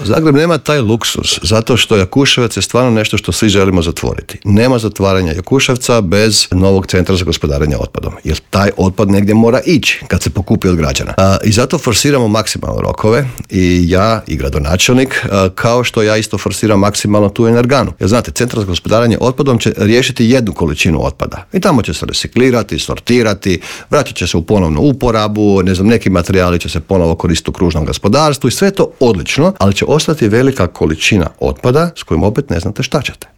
Zagreb nema taj luksus, zato što Jakuševac je stvarno nešto što svi želimo zatvoriti. Nema zatvaranja Jakuševca bez novog centra za gospodarenje otpadom, jer taj otpad negdje mora ići kad se pokupi od građana. I zato forsiramo maksimalno rokove i ja i gradonačelnik, kao što ja isto forsiram maksimalno tu energanu. Jer znate, centar za gospodarenje otpadom će riješiti jednu količinu otpada i tamo će se reciklirati, sortirati, vratit će se u ponovnu uporabu, neki materijali će se ponovo koristiti u kružnom gospodarstvu i sve to odlično, ali će ostati velika količina otpada s kojim opet ne znate šta ćete.